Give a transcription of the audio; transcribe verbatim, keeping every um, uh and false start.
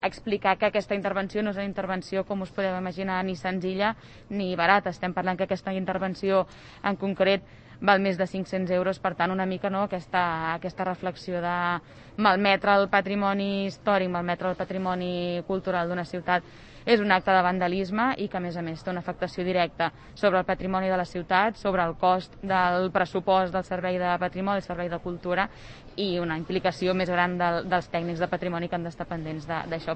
explicar que aquesta intervenció no és una intervenció, com us podeu imaginar, ni senzilla ni barata. Estem parlant que aquesta intervenció en concret val més de cinc-cents euros, per tant una mica no, aquesta, aquesta reflexió de malmetre el patrimoni històric, malmetre el patrimoni cultural d'una ciutat és un acte de vandalisme i que a més a més té una afectació directa sobre el patrimoni de la ciutat, sobre el cost del pressupost del servei de patrimoni, el servei de cultura, i una implicació més gran del, dels tècnics de patrimoni que han d'estar pendents d'això.